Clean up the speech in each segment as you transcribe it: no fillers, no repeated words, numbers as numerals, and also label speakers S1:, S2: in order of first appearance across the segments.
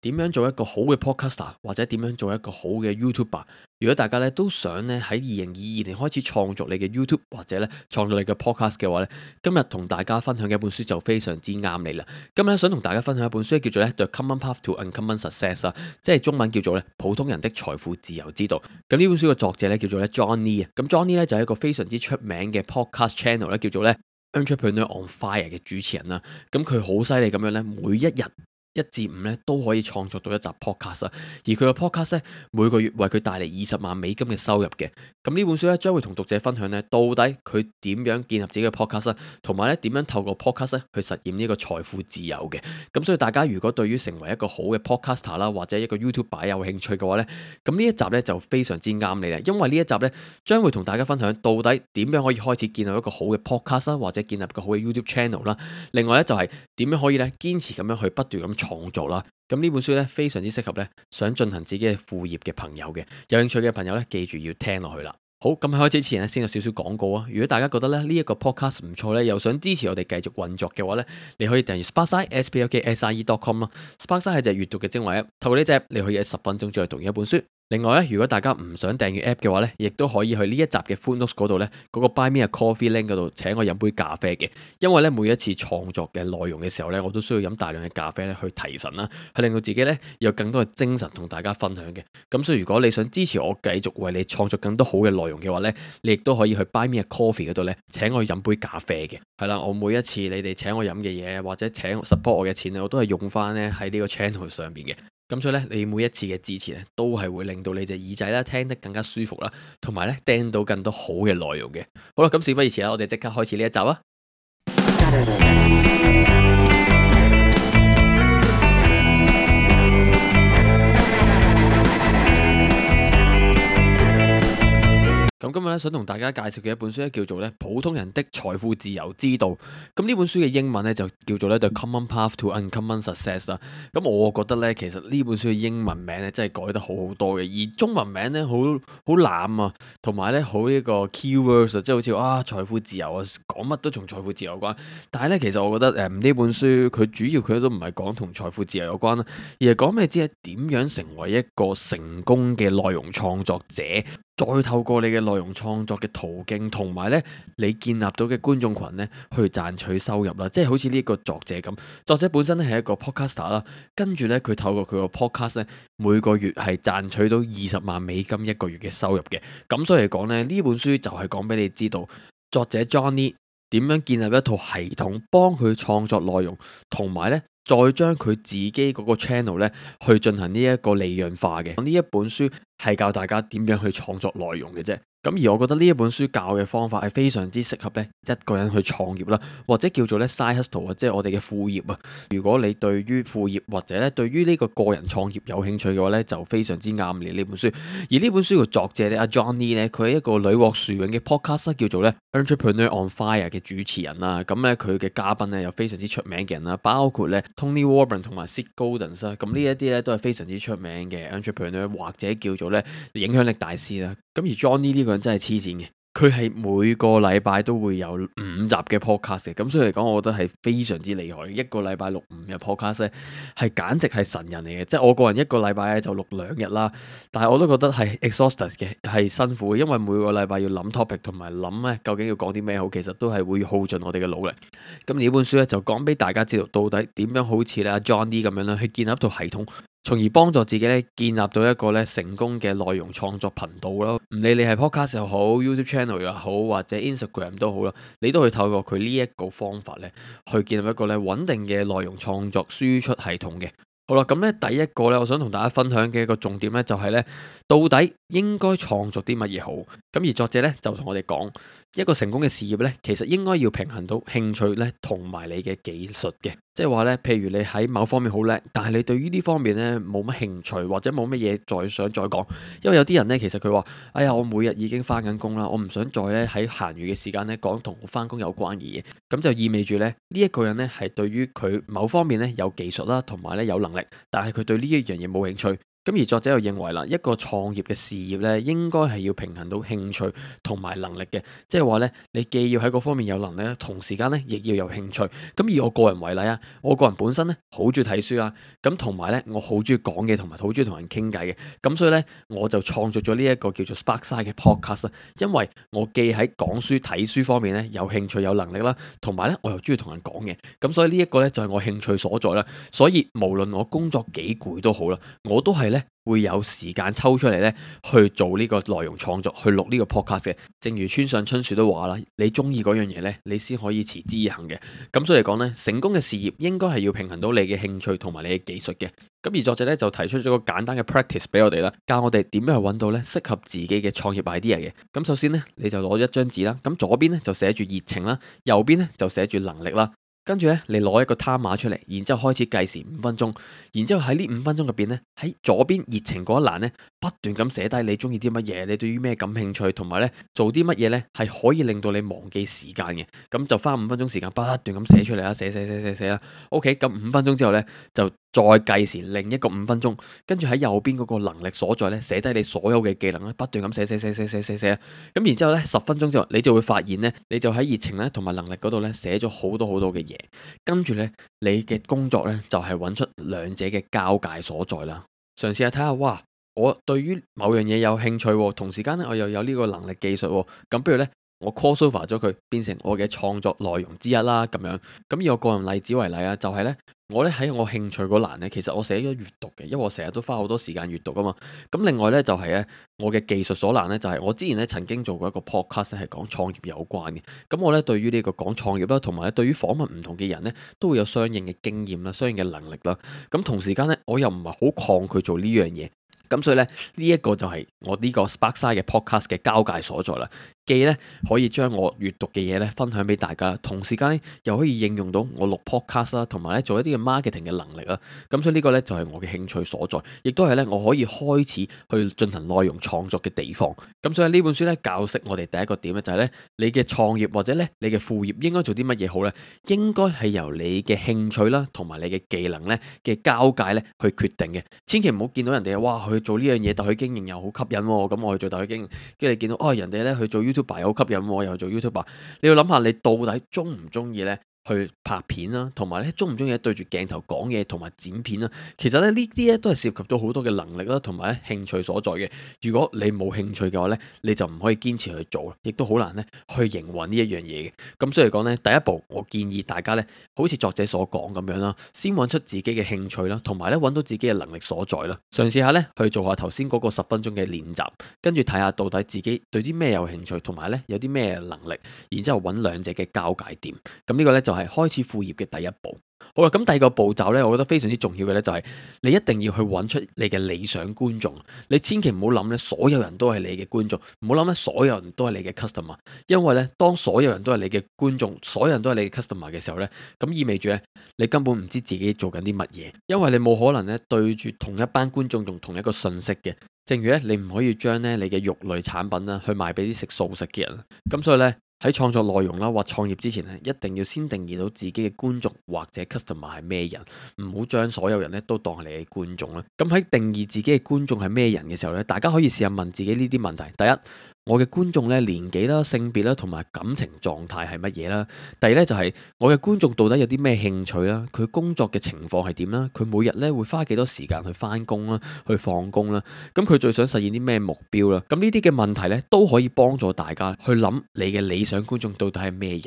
S1: 點樣做一個好嘅 podcaster，或者點樣做一個好嘅 YouTuber？如果大家咧都想咧喺2022年開始創作你嘅 YouTube 或者咧創作你嘅 podcast 嘅話咧，今日同大家分享嘅一本書就非常之啱你啦。今日想同大家分享一本書叫做咧《The Common Path to Uncommon Success》啊，即係中文叫做咧普通人的財富自由之道。咁呢本書嘅作者咧叫做咧 John Lee 啊，咁 John Lee 咧就係一個非常之出名嘅 podcast channel 咧，叫做咧 Entrepreneur on Fire 嘅主持人啦。咁佢好犀利咁樣咧，每一日1至5咧都可以創作到一集 podcast 啊，而佢個 podcast 咧每個月為佢帶嚟20萬美金嘅收入嘅。咁呢本書咧將會同讀者分享咧，到底佢點樣建立自己嘅 podcast 啦，同埋咧點樣透過 podcast 咧去實現呢個財富自由嘅。咁所以大家如果對於成為一個好嘅 podcaster 啦，或者一個 YouTuber 有興趣嘅話咧，咁呢一集咧就非常之啱你啦，因為呢一集咧將會同大家分享到底點樣可以開始建立一個好嘅 podcast 啦，或者建立一個好嘅 YouTube channel 啦。另外咧就係點樣可以咧堅持咁樣去不斷咁創作啦。咁呢本書咧非常之適合咧想進行自己嘅副業嘅朋友嘅，有興趣嘅朋友咧記住要聽落去啦。好，咁喺開始之前咧先有少少廣告啊。如果大家覺得咧呢一個 podcast 唔錯咧，又想支持我哋繼續運作嘅話咧，你可以訂閱 Sparkside sparkside.com 咯。Sparkside 係隻閱讀嘅精華 app， 透過呢隻 app 你可以喺10分鐘之內讀完一本書。另外咧，如果大家唔想訂閱 app 嘅話咧，亦都可以去呢一集嘅 footnotes 嗰度咧，嗰個 Buy Me a Coffee link 嗰度請我飲杯咖啡嘅。因為咧每一次創作嘅內容嘅時候咧，我都需要飲大量嘅咖啡咧去提神啦，去令到自己咧有更多嘅精神同大家分享嘅。咁所以如果你想支持我繼續為你創作更多好嘅內容嘅話咧，你亦都可以去 Buy Me a Coffee 嗰度咧請我飲杯咖啡嘅。係啦，我每一次你哋請我飲嘅嘢或者請 support 我嘅錢咧，我都係用翻咧喺呢個 channel 上邊嘅。咁所以咧，你每一次嘅支持咧，都係會令到你隻耳仔咧聽得更加舒服啦，同埋咧聽到更多好嘅內容嘅。好啦，咁事不宜遲啦，我哋即刻開始呢一集啊！咁今日咧想同大家介紹嘅一本書咧叫做咧普通人的財富自由之道。咁呢本書嘅英文咧就叫做咧 The Common Path to Uncommon Success 啦。咁我覺得咧其實呢本書嘅英文名咧真係改得好好多嘅，而中文名咧好濫啊，同埋咧好呢個 keywords 即係好似財富自由啊，講乜都同財富自由有關。但係咧其實我覺得呢本書佢主要佢都唔係講同財富自由有關啦，而係講俾你知係點樣成為一個成功嘅內容創作者。再透過你嘅內容創作嘅途徑，同埋咧你建立到嘅觀眾群咧，去賺取收入啦。即係好似呢一個作者咁，作者本身咧係一個 podcaster 啦，跟住咧佢透過佢個 podcast 咧，每個月係賺取到20萬美金一個月嘅收入嘅。咁所以嚟講咧，呢本書就係講俾你知道，作者 John Lee 點樣建立一套系統，幫佢創作內容，同埋咧再將佢自己嗰個 channel 咧去進行呢一個利潤化嘅。呢一本書係教大家點樣去創作內容嘅啫。咁而我覺得呢一本書教嘅方法係非常之適合咧一個人去創業啦，或者叫做咧 side hustle 啊，即係我哋嘅副業啊。如果你對於副業或者咧對於呢個個人創業有興趣嘅話咧，就非常之啱你呢本書。而呢本書嘅作者咧阿 John Lee 咧，佢係一個屢獲殊榮嘅 podcast 叫做咧 Entrepreneur on Fire 嘅主持人啦。咁咧佢嘅嘉賓咧有非常之出名嘅人啦，包括咧 Tony Warren 同埋 Seth Godin 啦。咁呢一啲咧都係非常之出名嘅 entrepreneur 或者叫做咧影響力大師啦。咁而 John Lee 呢個人真係黐線嘅，佢係每個禮拜都會有5集嘅 podcast 嘅。咁所以嚟講，我覺得係非常之厲害。一個禮拜錄5日 podcast 咧，係簡直係神人嚟嘅。即係我個人一個禮拜咧就錄2日啦，但係我都覺得係 exhausted 嘅，係辛苦嘅，因為每個禮拜要諗 topic 同埋諗咧究竟要講啲咩好，其實都係會耗盡我哋嘅努力。咁呢本書咧就講俾大家知道，到底點樣好似咧 John Lee 咁樣咧去建立一套系統，從而幫助自己咧建立到一個咧成功嘅內容創作頻道咯。唔理你係 podcast 又好 YouTube channel 又好，或者 Instagram 都好啦，你都可以透過佢呢一個方法咧去建立一個咧穩定嘅內容創作輸出系統嘅。好啦，咁咧第一個咧，我想同大家分享嘅一個重點咧，就係咧，到底應該創作啲乜嘢好？咁而作者咧就同我哋講，一個成功嘅事業咧，其實應該要平衡到興趣咧同埋你嘅技術嘅。即係話咧，譬如你喺某方面好叻，但係你對於呢方面咧冇乜興趣，或者冇乜嘢再想再講。因為有啲人咧，其實佢話：哎呀，我每日已經翻緊工啦，我唔想再咧喺閒餘嘅時間咧講同我翻工有關嘅嘢。咁就意味住咧，呢一個人咧係對於佢某方面咧有技術啦，同埋咧有能力，但係佢對呢一樣嘢冇興趣。咁而作者又認為啦，一個創業嘅事業咧，應該係要平衡到興趣同埋能力嘅，即係話咧，你既要喺嗰方面有能力，同時間咧亦要有興趣。咁以我個人為例啊，我個人本身咧好中意睇書啊，咁同埋咧我好中意講嘢，同埋好中意同人傾偈嘅。咁所以咧，我就創作咗呢一個叫做 Sparkside 嘅 podcast 啊，因為我既喺講書睇書方面咧有興趣有能力啦，同埋咧我又中意同人講嘢，咁所以呢一個咧就係我興趣所在啦。所以無論我工作幾攰都好啦，我都係咧會有時間抽出嚟咧去做呢個內容創作，去錄呢個 podcast 嘅。正如村上春樹都話啦，你中意嗰樣嘢咧，你先可以持之以恆嘅。咁所以嚟講咧，成功嘅事業應該係要平衡到你嘅興趣同埋你嘅技術嘅。咁而作者咧就提出咗個簡單嘅 practice 俾我哋啦，教我哋點樣去揾到咧適合自己嘅創業 idea 嘅。咁首先咧，你就攞一張紙啦，咁左邊咧就寫住熱情啦，右邊咧就寫住能力啦。跟住咧，你攞一個 timer 出嚟，然之後開始計時5分鐘，然之後喺呢5分鐘入邊咧，喺左邊熱情嗰一欄咧，不斷咁寫低你中意啲乜嘢，你對於咩感興趣，同埋咧做啲乜嘢咧係可以令到你忘記時間嘅。咁就花5分鐘時間不斷咁寫出嚟啦，寫啦。OK，咁5分鐘之後咧就再計時另一個5分鐘，跟住喺右邊嗰個能力所在咧寫低你所有嘅技能咧，不斷咁寫。咁然之後咧10分鐘之後，你就會發現咧，你就喺熱情咧同埋能力嗰度咧寫咗好多嘅嘢。跟住呢，你嘅工作呢，就係揾出兩者嘅交界所在啦。嘗試下睇下，哇！我對於某樣嘢有興趣喎，同時間呢，我又有呢個能力技術喎，咁不如呢，我 crossover 咗佢，變成我嘅創作內容之一啦。咁樣，咁以我個人例子為例啊，就係呢。我咧喺我興趣嗰欄咧，其實我寫咗閱讀嘅，因為我成日都花好多時間閱讀啊嘛。咁另外咧就係咧，我嘅技術所欄咧就係我之前咧曾經做過一個 podcast 係講創業有關嘅。咁我咧對於呢個講創業啦，同埋咧對於訪問唔同嘅人咧，都會有相應嘅經驗啦，相應嘅能力啦。咁同時間咧，我又唔係好抗拒做呢樣嘢。咁所以咧，呢一個就係我呢個 Sparkside 嘅 podcast 嘅交界所在啦。既咧可以將我閱讀嘅嘢咧分享俾大家，同時間咧又可以應用到我錄 podcast 啦，同埋咧做一啲嘅 marketing 嘅能力啦。咁所以呢個咧就係我嘅興趣所在，亦都係咧我可以開始去進行內容創作嘅地方。咁所以呢本書咧教識我哋第一個點咧就係咧，你嘅創業或者咧你嘅副業應該做啲乜嘢好咧？應該係由你嘅興趣啦，同埋你嘅技能咧嘅交界咧去決定嘅。千祈唔好見到人哋哇去做呢樣嘢，特許經營又好吸引喎，咁我去做特許經營，跟住你見到人哋咧去做 YouTuber 又好吸引喎，又做 YouTuber，你要諗下你到底中唔中意咧？去拍片啦，同埋咧中唔中意對住鏡頭講嘢同埋剪片啦。其實咧呢啲咧都係涉及到好多嘅能力啦，同埋咧興趣所在嘅。如果你冇興趣嘅話咧，你就唔可以堅持去做，亦都好難咧去營運呢一樣嘢嘅。咁所以嚟講咧，第一步我建議大家咧，好似作者所講咁樣啦，先揾出自己嘅興趣啦，同埋咧揾到自己嘅能力所在啦。嘗試下咧去做下頭先嗰個10分鐘嘅練習，跟住睇下到底自己對啲咩有興趣，同埋咧有啲咩能力，然之後揾兩者嘅交界點。咁呢個咧就係開始副業嘅第一步。好啦，咁第二個步驟呢，我覺得非常之重要嘅呢，就係你一定要去揾出你嘅理想觀眾。你千祈唔好諗呢，所有人都係你嘅觀眾，唔好諗呢，所有人都係你嘅 customer。因為呢，當所有人都係你嘅觀眾，所有人都係你嘅 customer 嘅時候呢，咁意味住呢，你根本唔知自己做緊啲乜嘢，因為你冇可能呢對住同一班觀眾用同一個信息嘅。正如呢，你唔可以將呢你嘅肉類產品啦去賣俾啲食素食嘅人。咁所以呢，喺創作內容啦或創業之前咧，一定要先定義到自己嘅觀眾或者 customer 係咩人，唔好將所有人咧都當係你嘅觀眾啦。咁喺定義自己嘅觀眾係咩人嘅時候咧，大家可以試下問自己呢啲問題。第一，我嘅觀眾咧年紀啦、性別啦同埋感情狀態係乜嘢啦？第二咧就係我嘅觀眾到底有啲咩興趣啦？佢工作嘅情況係點啦？佢每日咧會花幾多時間去返工啦、去放工啦？咁佢最想實現啲咩目標啦？咁呢啲嘅問題咧都可以幫助大家去諗你嘅理想觀眾到底係咩人。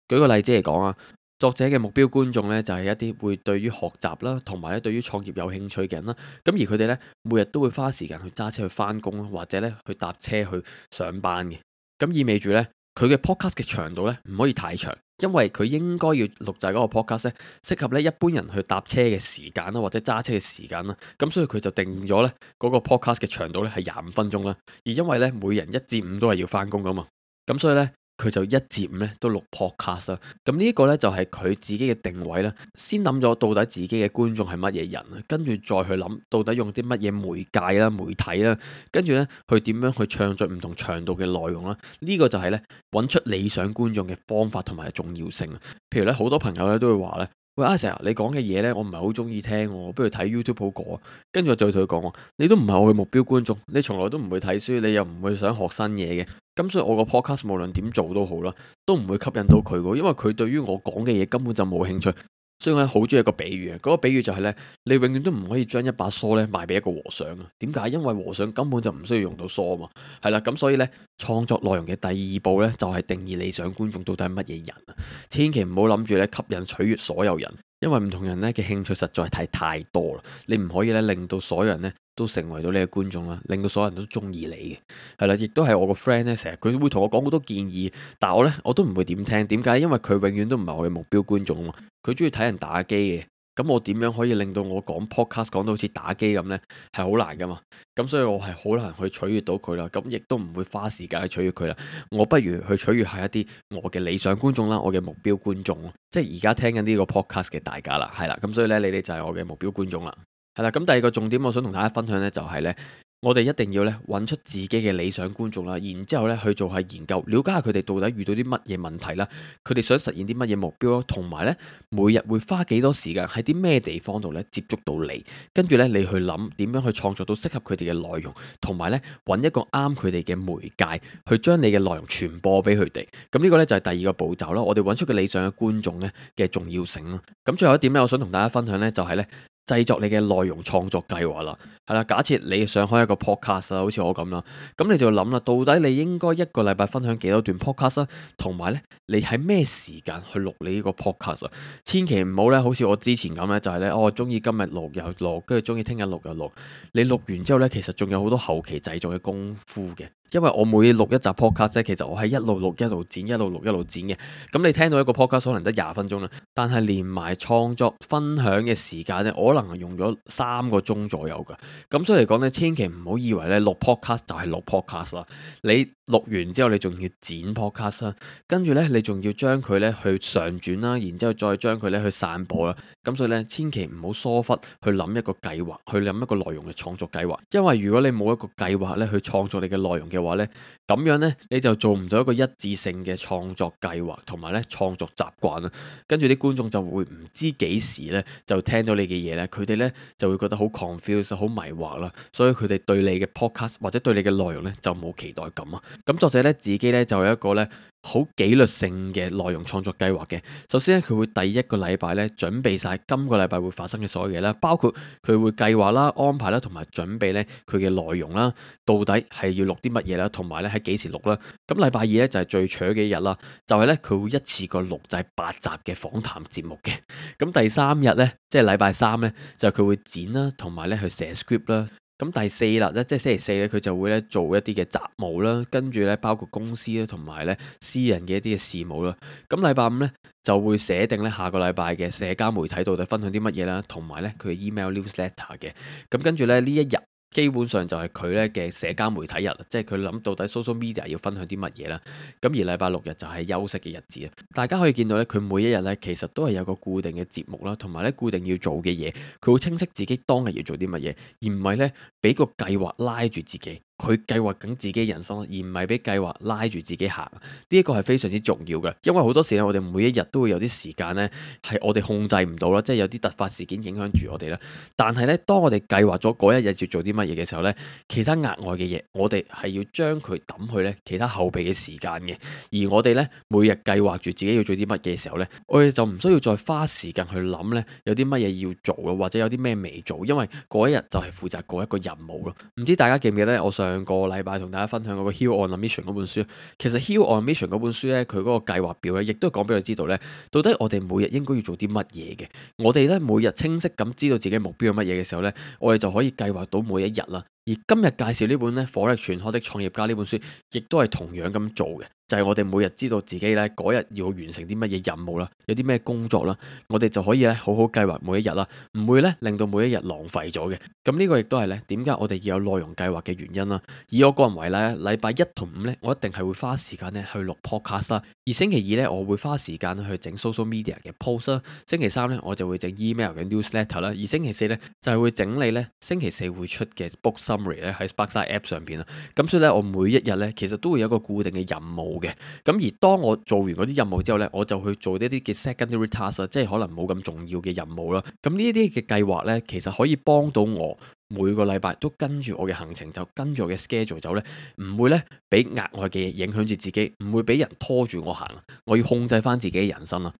S1: 舉個例子嚟講啊，作者嘅目標觀眾咧就係一啲會對於學習啦，同埋咧對於創業有興趣嘅人啦。咁而佢哋咧每日都會花時間去揸車去返工啦，或者咧去搭車去上班嘅。咁意味住咧佢嘅 podcast 嘅長度咧唔可以太長，因為佢應該要錄製嗰個 podcast 咧適合咧一般人去搭車嘅時間啦，或者揸車嘅時間啦。咁所以佢就定咗咧嗰個 podcast 嘅長度咧係25分鐘啦。而因為咧每人1至5都係要返工噶嘛，咁所以咧佢就1至5咧都錄 podcast 啦。咁呢一個咧就係佢自己嘅定位啦。先諗咗到底自己嘅觀眾係乜嘢人，跟住再去諗到底用啲乜嘢媒介啦、媒體啦，跟住咧去點樣去創作唔同長度嘅內容啦。呢個就係咧揾出理想觀眾嘅方法同埋重要性。譬如咧好多朋友咧都會話咧，喂，阿成啊，你講嘅嘢呢，我唔係好中意聽喎，不如睇 YouTube 好過啊。跟住我就會同佢講喎，你都唔係我嘅目標觀眾，你從來都唔會睇書，你又唔會想學新嘢嘅。咁所以我個 podcast 無論點做都好啦，都唔會吸引到佢嘅，因為佢對於我講嘅嘢根本就冇興趣。所以我好中意一個比喻啊，嗰個比喻就係呢：你永遠都唔可以將一把梳呢賣俾一個和尚啊。點解？因為和尚根本就唔需要用到梳啊嘛。係啦，咁所以呢，創作內容嘅第二步呢，就係定義理想觀眾到底係乜嘢人啊。千祈唔好諗住咧吸引取悅所有人，因為唔同人咧嘅興趣實在係太多啦。你唔可以咧令到所有人咧都成為到你嘅觀眾啦，令到所有人都中意你嘅。係啦，亦都係我個 friend 咧，成日佢會同我講好多建議，但係我都唔會點聽。點解？因為佢永遠都唔係我嘅目標觀眾啊嘛。佢中意睇人打機嘅，咁我點樣可以令到我講 podcast 講到好似打機咁呢？係好難噶嘛。咁所以我係好難去取悅到佢啦。咁亦都唔會花時間去取悅佢啦。我不如去取悅下一啲我嘅理想觀眾啦，我嘅目標觀眾，即係而家聽緊呢個 podcast 嘅大家啦，係啦。咁所以呢，你哋就係我嘅目標觀眾啦。係啦，咁第二個重點我想同大家分享呢，就係呢：我哋一定要咧揾出自己嘅理想觀眾啦，然之後咧去做下研究，了解下佢哋到底遇到啲乜嘢問題啦，佢哋想實現啲乜嘢目標咯，同埋咧每日會花幾多時間喺啲咩地方度咧接觸到你，跟住咧你去諗點樣去創作到適合佢哋嘅內容，同埋咧揾一個啱佢哋嘅媒介去將你嘅內容傳播俾佢哋。咁呢個咧就係第二個步驟啦。我哋揾出個理想嘅觀眾咧嘅重要性啦。咁最後一點咧，我想同大家分享咧就係咧，製作你嘅內容創作計劃啦，係啦。假設你想開一個 podcast 啊，好似我咁啦，咁你就諗啦，到底你應該一個禮拜分享幾多段 podcast 啊？同埋咧，你喺咩時間去錄你呢個 podcast 啊？千祈唔好咧，好似我之前咁咧，就係咧，我中意今日錄又錄，跟住中意聽日錄又錄。你錄完之後咧，其實仲有好多後期製作嘅功夫嘅。因為我每錄一集 podcast 咧，其實我係一路錄一路剪，一路錄一路剪嘅。咁你聽到一個 podcast 可能得20分鐘啦，但係連埋創作分享嘅時間咧，我可能係用咗3個鐘左右噶。咁所以嚟講咧，千祈唔好以為咧錄 podcast 就係錄 podcast 啦。你錄完之後，你仲要剪 podcast 啦，跟住咧你仲要將佢咧去上傳啦，然之後再將佢咧去散播啦。咁所以咧，千祈唔好疏忽去諗一個計劃，去諗一個內容嘅創作計劃。因為如果你冇一個計劃咧去創作你嘅內容嘅話咧，咁樣咧你就做唔到一個一致性嘅創作計劃同埋咧創作習慣啦。跟住啲觀眾就會唔知幾時咧就聽到你嘅嘢咧，佢哋咧就會覺得好 confused、好迷惑啦。所以佢哋對你嘅 podcast 或者對你嘅內容咧就冇期待感啊。咁作者咧自己咧就有一個咧好紀律性嘅內容創作計劃嘅。首先咧，佢會第一個禮拜咧準備晒今個禮拜會發生嘅所有嘢啦，包括佢會計劃啦、安排啦，同埋準備咧佢嘅內容啦，到底係要錄啲乜嘢啦，同埋咧喺幾時錄啦。咁禮拜二咧就係最長嘅一日啦，就係咧佢會一次過錄製8集嘅訪談節目嘅。咁第3日咧，即係禮拜3咧，就佢會剪啦，同埋咧去寫 script 啦。咁第4日咧，即係星期四咧，佢就會咧做一啲嘅雜務啦，跟住咧包括公司啦，同埋咧私人嘅一啲嘅事務啦。咁禮拜5咧就會寫定咧下個禮拜嘅社交媒體到底分享啲乜嘢啦，同埋咧佢嘅 email newsletter 嘅。咁跟住咧呢一日，基本上就係佢咧嘅社交媒體日，即係佢諗到底 social media 要分享啲乜嘢啦。咁而禮拜6日就係休息嘅日子啊。大家可以見到咧，佢每一日咧其實都係有個固定嘅節目啦，同埋咧固定要做嘅嘢，佢會清晰自己當日要做啲乜嘢，而唔係咧俾個計劃拉住自己。佢計劃緊自己人生，而唔係俾計劃拉住自己行。呢一個係非常之重要嘅，因為好多時咧，我哋每一日都會有啲時間咧係我哋控制唔到啦，即係有啲突發事件影響住我哋啦。但係咧，當我哋計劃咗嗰一日要做啲乜嘢嘅時候咧，其他額外嘅嘢，我哋係要將佢抌去咧其他後備嘅時間嘅。而我哋咧每日計劃住自己要做啲乜嘢嘅時候咧，我哋就唔需要再花時間去諗咧有啲乜嘢要做咯，或者有啲咩未做，因為嗰一日就係負責嗰一個任務咯。唔知大家記唔記得我上個禮拜同大家分享嗰個 Heal on a Mission 嗰本書，其實 Heal on a Mission 嗰本書咧，佢嗰個計劃表咧，亦都講俾佢知道咧，到底我哋每日應該要做啲乜嘢嘅。我哋咧每日清晰咁知道自己目標係乜嘢嘅時候咧，我哋就可以計劃到每一日啦。而今日介紹呢本咧《火力全開的創業家》呢本書，亦都係同樣咁做嘅，就係我哋每日知道自己咧嗰日要完成啲乜嘢任務啦，有啲咩工作啦，我哋就可以咧好好計劃每一日啦，唔會咧令到每一日浪費咗嘅。咁呢個亦都係咧點解我哋要有內容計劃嘅原因啦。以我個人為例，禮拜1同5咧，我一定係會花時間咧去錄 podcast 啦。而星期2咧，我會花時間去整 social media 嘅 post 啦。星期3咧，我就會整 email 嘅 newsletter 啦。而星期4咧，就係會整理咧星期4會出嘅 book summary 咧喺 Sparkside App 上邊啦。咁所以咧，我每一日咧其實都會有一個固定嘅任務嘅。咁而當我做完嗰啲任務之後咧，我就去做呢啲嘅 secondary task 即係可能冇咁重要嘅任務啦。咁呢啲嘅計劃咧，其實可以幫到我每個禮拜都跟住我嘅行程，就跟住我嘅 schedule 走咧，唔會咧俾額外嘅嘢影響住自己，唔會俾人拖住我行。我要控制翻自己嘅人生啦。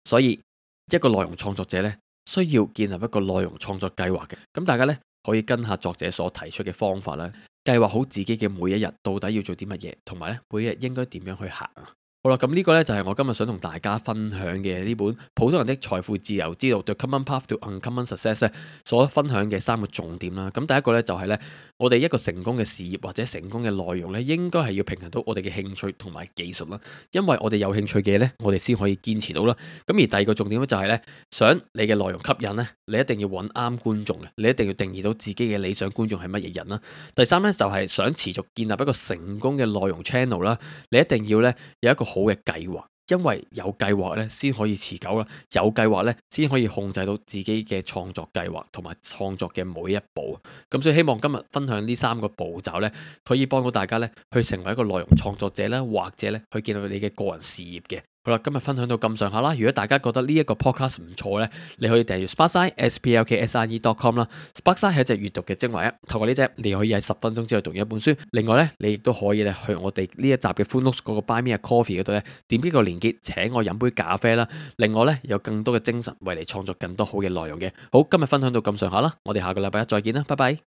S1: 所以一個內容創作者咧，需要建立一個內容創作計劃嘅。咁大家咧可以跟下作者所提出嘅方法啦，計劃好自己嘅每一日到底要做啲乜嘢，同埋咧每一日應該點樣去行啊。好啦，咁呢個呢，就係我今日想同大家分享嘅呢本《普通人的財富自由之路 The Common Path to Uncommon Success》所分享嘅3個重點啦。咁第一個呢，就係呢，我哋一個成功嘅事業或者成功嘅內容呢，應該係要平衡到我哋嘅興趣同埋技術啦。因為我哋有興趣嘅嘢呢，我哋先可以堅持到啦。咁而第二個重點呢，就係呢，想你嘅內容吸引呢，你一定要揾啱觀眾嘅，你一定要定義到自己嘅理想觀眾係乜嘢人啦。第三呢，就係想持續建立一個成功嘅內容 channel 啦，你一定要呢，有一個好嘅計劃，因為有計劃咧先可以持久啦，有計劃咧先可以控制到自己嘅創作計劃同埋創作嘅每一步。咁所以希望今日分享呢3個步驟咧，可以幫到大家咧去成為一個內容創作者啦，或者咧去建立你嘅個人事業嘅。好啦，今日分享到咁上下啦。如果大家覺得呢一個 podcast 唔錯呢，你可以訂閱 Sparkside sparkside.com 啦。Sparkside 係一隻閱讀嘅精華 app，透過呢隻你可以喺10分鐘之內讀完一本書。另外呢，你亦都可以咧去我哋呢一集嘅 Full Notes 嗰個 Buy Me a Coffee 嗰度咧，點擊個連結請我飲杯咖啡啦。另外呢，有更多嘅精神為你創作更多好嘅內容嘅。好，今日分享到咁上下啦，我哋下個禮拜一再見啦，拜拜。